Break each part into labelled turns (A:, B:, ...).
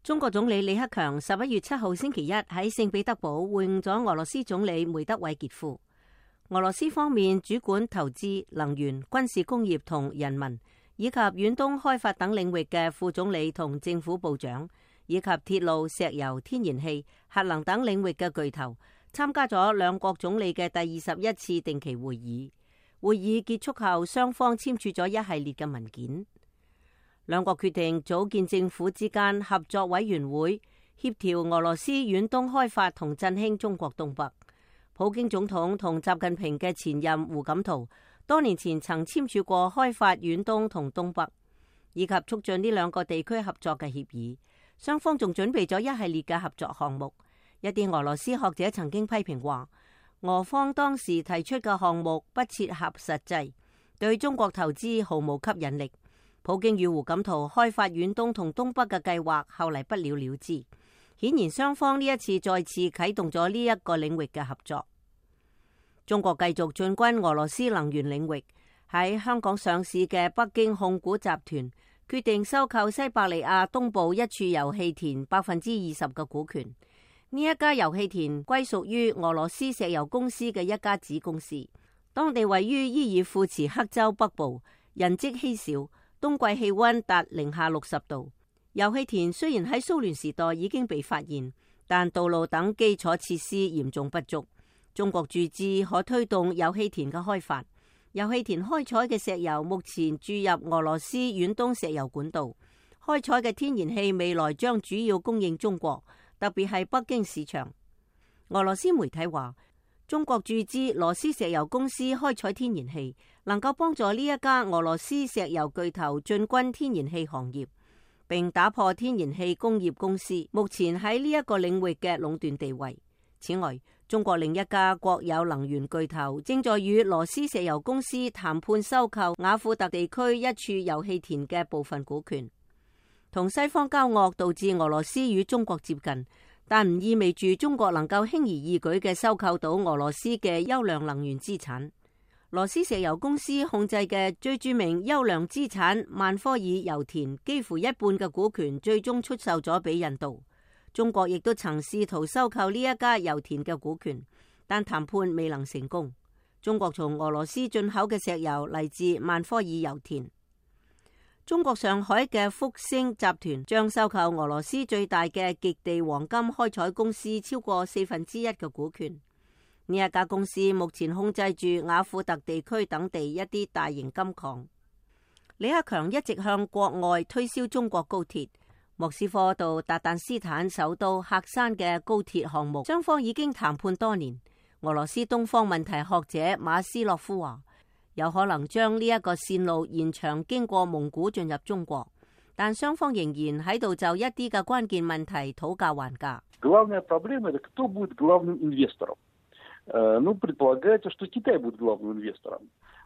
A: 中國總理李克強11月7號星期一喺聖彼得堡會晤咗俄羅斯總理梅德韋傑夫。俄羅斯方面主管投資、能源、軍事工業同人民，以及遠東開發等領域嘅副總理同政府部長，以及鐵路、石油、天然氣、核能等領域嘅巨頭，參加咗兩國總理嘅第21次定期會議。會議結束後，雙方簽署咗一系列嘅文件。兩國決定組建政府之間合作委員會，協調俄羅斯遠東開發同振興中國東北。普京總統同習近平嘅前任胡錦濤多年前曾簽署過開發遠東同東北，以及促進呢兩個地區合作嘅協議。雙方仲準備咗一系列嘅合作項目。一啲俄羅斯學者曾經批評話，俄方當時提出嘅項目不切合實際，對中國投資毫無吸引力。普京與胡錦濤開發遠東同東北嘅計劃後嚟不了了之，顯然雙方呢一次再次啟動咗呢一個領域嘅合作。中國繼續進軍俄羅斯能源領域，喺香港上市嘅北京控股集團決定收購西伯利亞東部一處油氣田20%嘅股權。呢一家油氣田歸屬於俄羅斯石油公司嘅一家子公司，當地位於伊爾庫茨克州北部，人跡稀少。冬季氣溫達零下60度。油氣田雖然喺蘇聯時代已經被發現，但道路等基礎設施嚴重不足。中國注資可推動油氣田嘅開發。油氣田開採嘅石油目前注入俄羅斯遠東石油管道，開採嘅天然氣未來將主要供應中國，特別係北京市場。俄羅斯媒體話，中國注資羅斯石油公司開採天然氣，能夠幫助呢一家俄羅斯石油巨頭進軍天然氣行業，並打破天然氣工業公司目前喺呢一個領域嘅壟斷地位。此外，中國另一家國有能源巨頭正在與羅斯石油公司談判收購雅庫特地區一處油氣田嘅部分股權。同西方交惡導致俄羅斯與中國接近，但唔意味住中國能夠輕而易舉嘅收購到俄羅斯嘅優良能源資產。羅斯石油公司控制嘅最著名優良資產曼科爾油田，幾乎一半嘅股權最終出售咗俾印度。中國亦都曾試圖收購呢一家油田嘅股權，但談判未能成功。中國從俄羅斯進口嘅石油嚟自曼科爾油田。中國上海嘅福星集團將收購俄羅斯最大嘅極地黃金開採公司超過1/4嘅股權。呢一家公司目前控制住雅庫特地區等地一啲大型金礦。李克強一直向國外推銷中國高鐵，莫斯科到達旦斯坦首都喀山嘅高鐵項目，雙方已經談判多年。俄羅斯東方問題學者馬斯洛夫話，有可能將呢一個線路延長經過蒙古進入中國，但雙方仍然喺度就一啲嘅關鍵問題討價還價。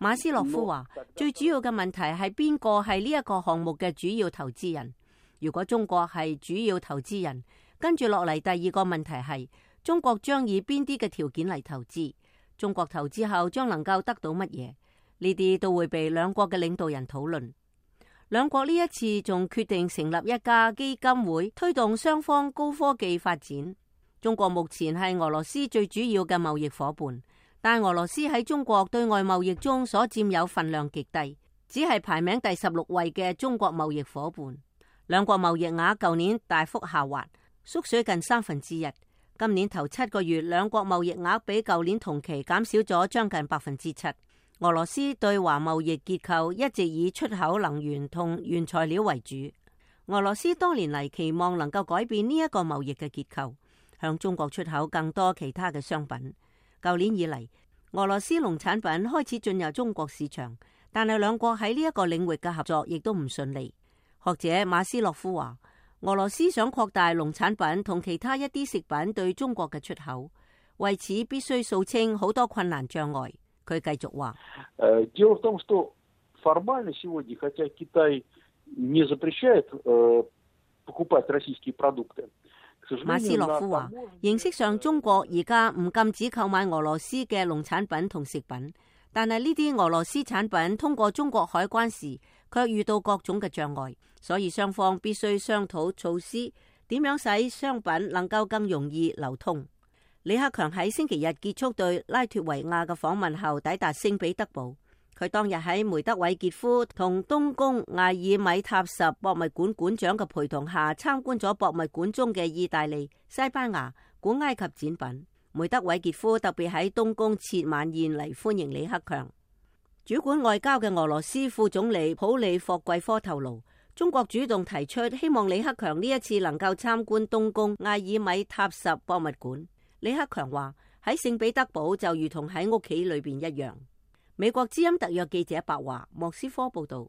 A: 馬斯洛夫話，最主要嘅問題係邊個係呢一個項目嘅主要投資人。如果中國係主要投資人，跟住落嚟第二個問題係中國將以邊啲嘅條件嚟投資，中國投資後將能夠得到乜嘢？呢啲都會被兩國嘅領導人討論。兩國呢一次仲決定成立一家基金會，推動雙方高科技發展。中國目前係俄羅斯最主要嘅貿易夥伴，但俄羅斯喺中國對外貿易中所佔有份量極低，只係排名第16位嘅中國貿易夥伴。兩國貿易額舊年大幅下滑，縮水近1/3。今年頭7個月，兩國貿易額比舊年同期減少咗將近7%。俄羅斯對華貿易結構一直以出口能源同原材料為主。俄羅斯多年嚟期望能夠改變呢一個貿易嘅結構，向中國出口更多其他嘅商品。舊年以嚟，俄羅斯農產品開始進入中國市場，但係兩國喺呢一個領域嘅合作亦都唔順利。學者馬斯洛夫話，俄羅斯想擴大農產品同其他一啲食品對中國嘅出口，為此必須掃清好多困難障礙。佢繼續話，馬斯洛夫話，形式上中國而家唔禁止購買俄羅斯嘅農產品同食品，但係呢啲俄羅斯產品通過中國海關時卻遇到各種嘅障礙，所以雙方必須商討措施，點樣使商品能夠更容易流通。李克強喺星期日結束對拉脫維亞嘅訪問後，抵達聖彼得堡。佢當日喺梅德韋傑夫同東宮艾爾米塔什博物館館長嘅陪同下，參觀咗博物館中嘅意大利、西班牙、古埃及展品。梅德韋傑夫特別喺東宮設晚宴嚟歡迎李克強。主管外交嘅俄羅斯副總理普利霍季科透露，中國主動提出希望李克強呢一次能夠參觀東宮艾爾米塔什博物館。李克強話喺聖彼得堡就如同喺屋企裏邊一樣。美國之音特約記者白華莫斯科報道。